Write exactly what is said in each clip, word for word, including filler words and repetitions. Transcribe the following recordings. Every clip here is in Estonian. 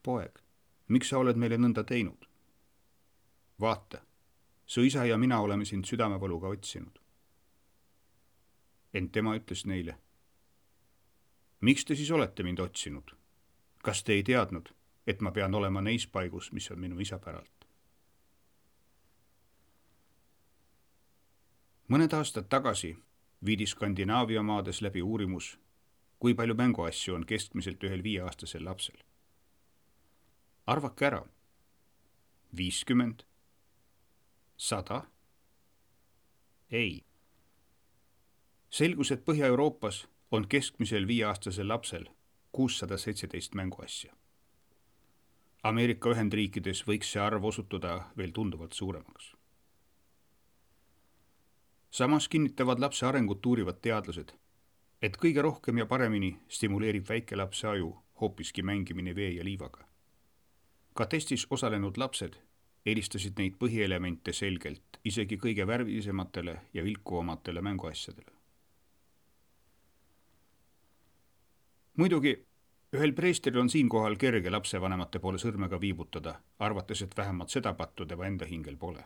poeg, miks sa oled meile nõnda teinud? Vaata, su isa ja mina oleme sind südamevaluga otsinud. Ent tema ütles neile, miks te siis olete mind otsinud? Kas te ei teadnud, et ma pean olema neis paigus, mis on minu isa päralt? Mõned aastad tagasi viidi Skandinaavia maades läbi uurimus, kui palju mänguasju on keskmiselt ühel viieaastasel lapsel. Arvake ära, viiskümmend, sada? Ei. Selgus, et Põhja-Euroopas on keskmisel viieaastasel lapsel kuussada seitseteist mänguasja. Ameerika Ühendriikides võiks see arv osutuda veel tunduvalt suuremaks. Samas kinnitavad lapse arengut uurivad teadlased, et kõige rohkem ja paremini stimuleerib väikelapse aju hoopiski mängimine vee ja liivaga. Ka testis osalenud lapsed eelistasid neid põhielemente selgelt isegi kõige värvilisematele ja vilkuvamatele mänguasjadele. Muidugi, ühel preestril on siinkohal kerge lapsevanemate poole sõrmega viibutada, arvates, et vähemalt seda pattu tema enda hingel pole.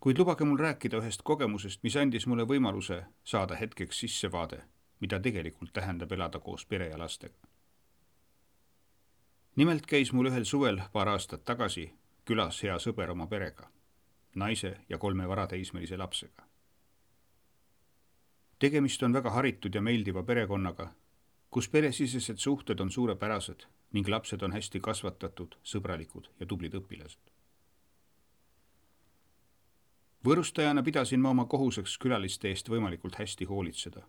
Kuid lubage mul rääkida ühest kogemusest, mis andis mulle võimaluse saada hetkeks sissevaade, mida tegelikult tähendab elada koos pere ja lastega. Nimelt käis mul ühel suvel paar aastat tagasi külas hea sõber oma perega, naise ja kolme varateismelise lapsega. Tegemist on väga haritud ja meeldiva perekonnaga, kus peresisesed suhted on suurepärased ning lapsed on hästi kasvatatud, sõbralikud ja tublid õpilased. Võõrustajana pidasin ma oma kohuseks külaliste eest võimalikult hästi hoolitseda,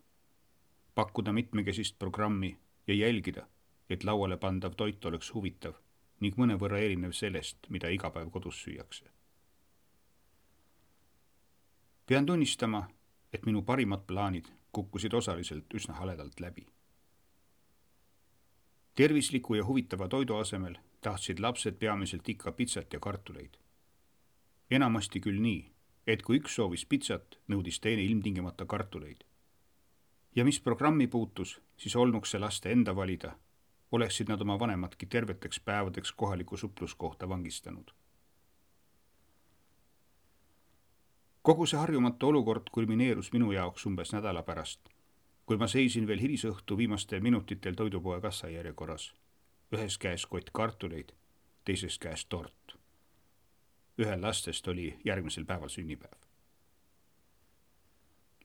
pakkuda mitmekesist programmi ja jälgida, et lauale pandav toit oleks huvitav ning mõnevõrra erinev sellest, mida iga päev kodus süüakse. Pean tunnistama, et minu parimad plaanid kukkusid osaliselt üsna haledalt läbi. Tervisliku ja huvitava toidu asemel tahtsid lapsed peamiselt ikka pitsat ja kartuleid. Enamasti küll nii, et kui üks soovis pitsat, nõudis teine ilmtingimata kartuleid. Ja mis programmi puutus, siis olnuks see laste enda valida, oleksid nad oma vanematki terveteks päevadeks kohaliku supluskohta vangistanud. Kogu see harjumatu olukord kulmineerus minu jaoks umbes nädala pärast, kui ma seisin veel hilisõhtu viimastel minutitel toidupoe kassajärjekorras, ühes käes kott kartuleid, teises käes tort. Ühel lastest oli järgmisel päeval sünnipäev.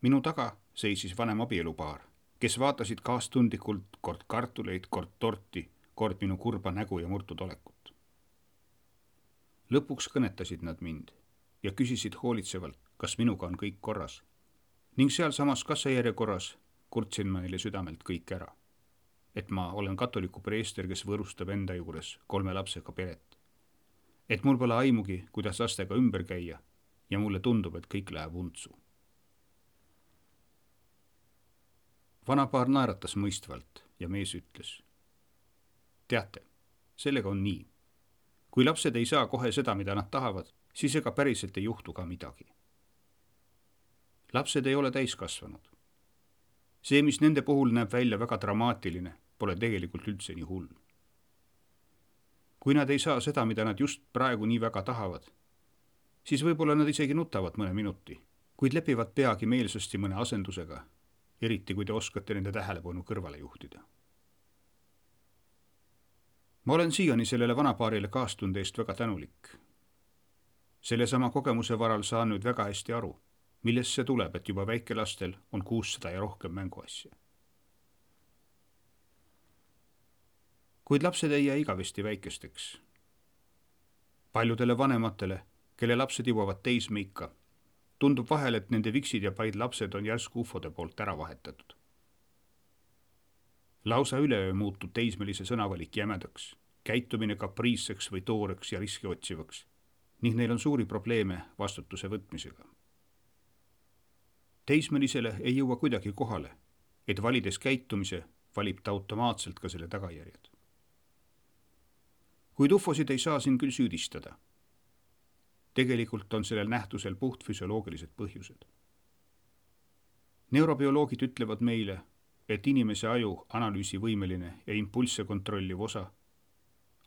Minu taga seisis vanem abielupaar, kes vaatasid kaastundlikult kord kartuleid, kord torti, kord minu kurba nägu ja murtud olekut. Lõpuks kõnetasid nad mind ja küsisid hoolitsevalt, kas minuga on kõik korras. Ning seal samas kassajärjekorras kurtsin ma neile südamelt kõik ära, et ma olen katoliku preester, kes võõrustab enda juures kolme lapsega peret. Et mul pole aimugi, kuidas lastega ümber käia ja mulle tundub, et kõik läheb untsu. Vanapaar naeratas mõistvalt ja mees ütles, teate, sellega on nii. Kui lapsed ei saa kohe seda, mida nad tahavad, siis ega päriselt ei juhtu ka midagi. Lapsed ei ole täiskasvanud. See, mis nende puhul näeb välja väga dramaatiline, pole tegelikult üldse nii hull. Kui nad ei saa seda, mida nad just praegu nii väga tahavad, siis võib-olla nad isegi nutavad mõne minuti, kuid lepivad peagi meelsasti mõne asendusega, eriti kui te oskate nende tähelepanu kõrvale juhtida. Ma olen siiani sellele vanapaarile kaastunde eest väga tänulik. Selle sama kogemuse varal saan nüüd väga hästi aru, millest see tuleb, et juba väikelastel on kuussada ja rohkem mänguasja. Kuid lapsed ei jää igavesti väikesteks. Paljudele vanematele, kelle lapsed jõuavad teismeikka, tundub vahel, et nende viksid ja paid lapsed on järsku ufode poolt ära vahetatud. Lausa üleöö muutub teismelise sõnavalik jämedaks, käitumine kapriisseks või tooreks ja riski otsivaks, ning neil on suuri probleeme vastutuse võtmisega. Teismelisele ei jõua kuidagi kohale, et valides käitumise valib ta automaatselt ka selle tagajärjed. Kuid ufosid ei saa siin küll süüdistada. Tegelikult on sellel nähtusel puht füsioloogilised põhjused. Neurobioloogid ütlevad meile, et inimese aju analüüsivõimeline ja impulsse kontrolliv osa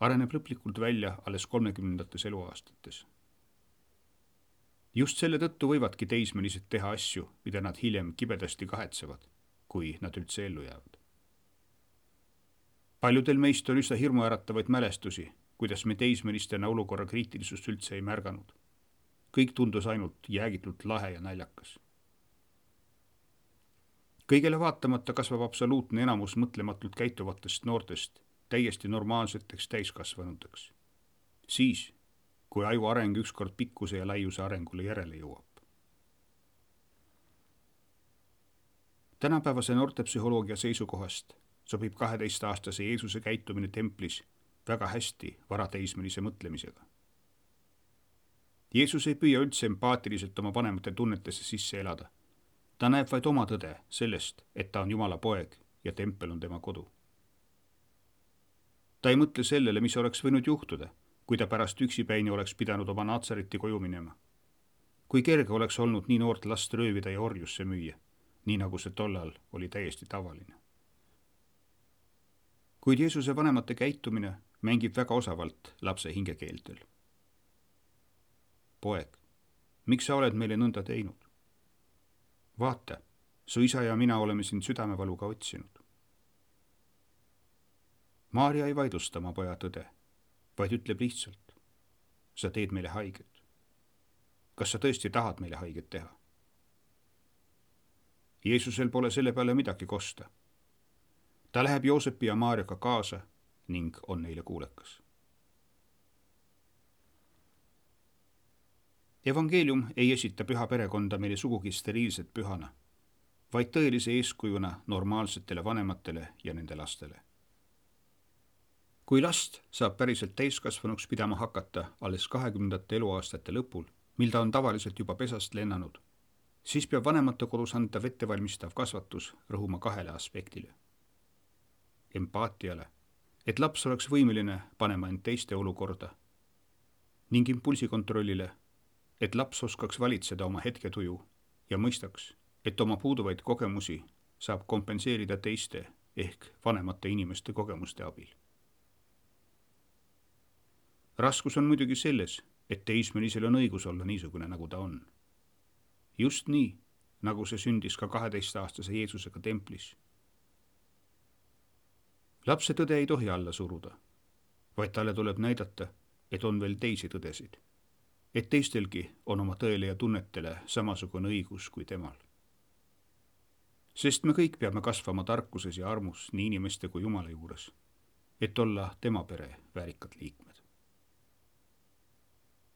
areneb lõplikult välja alles kolmekümnendates eluaastates. just selle tõttu võivadki teismelised teha asju, mida nad hiljem kibedasti kahetsevad, kui nad üldse ellu jäävad. Paljudel meist on üsna hirmuäratavaid mälestusi, kuidas me teismelistena olukorra kriitilisust üldse ei märganud. kõik tundus ainult jäägitult lahe ja naljakas. kõigele vaatamata kasvab absoluutne enamus mõtlematult käituvatest noortest täiesti normaalseteks täiskasvanuteks. Siis, kui aju areng ükskord pikkuse ja laiuse arengule järele jõuab. Tänapäevase noortepsühholoogia seisukohast sobib kaheteistaastase Jeesuse käitumine templis väga hästi varateismelise mõtlemisega. Jeesus ei püüa üldse empaatiliselt oma vanemate tunnetesse sisse elada. Ta näeb vaid oma tõde sellest, et ta on Jumala poeg ja tempel on tema kodu. Ta ei mõtle sellele, mis oleks võinud juhtuda, kui ta pärast üksipäini oleks pidanud oma Natsareti koju minema. Kui kerge oleks olnud nii noort last röövida ja orjusse müüa, nii nagu see tollal oli täiesti tavaline. Kuid Jeesuse vanemate käitumine mängib väga osavalt lapse hingekeeltel. Poeg, miks sa oled meile nõnda teinud? Vaata, su isa ja mina oleme sind südamevaluga otsinud. Maarja ei vaidlusta oma poja tõde, vaid ütleb lihtsalt, sa teed meile haiget. Kas sa tõesti tahad meile haiget teha? Jeesusel pole selle peale midagi kosta. Ta läheb Joosepi ja Maarjaga kaasa ning on neile kuulekas. Evangeelium ei esita püha perekonda meile sugugi steriilset pühana, vaid tõelise eeskujuna normaalsetele vanematele ja nende lastele. Kui last saab päriselt täiskasvanuks pidama hakata alles kahekümnendate eluaastate lõpul, mil ta on tavaliselt juba pesast lennanud, siis peab vanemate kodus antav ettevalmistav kasvatus rõhuma kahele aspektile. Empaatiale, et laps oleks võimeline panema end teiste olukorda, ning impulsikontrollile, et laps oskaks valitseda oma hetketuju ja mõistaks, et oma puuduvaid kogemusi saab kompenseerida teiste ehk vanemate inimeste kogemuste abil. Raskus on muidugi selles, et teismelisel on õigus olla niisugune, nagu ta on. Just nii, nagu see sündis ka kaheteistaastase Jeesusega templis. Lapse tõde ei tohi alla suruda, vaid talle tuleb näidata, et on veel teisi tõdesid, et teistelgi on oma tõele ja tunnetele samasugune õigus kui temal. Sest me kõik peame kasvama tarkuses ja armus nii inimeste kui Jumala juures, et olla tema pere väärikad liikmed.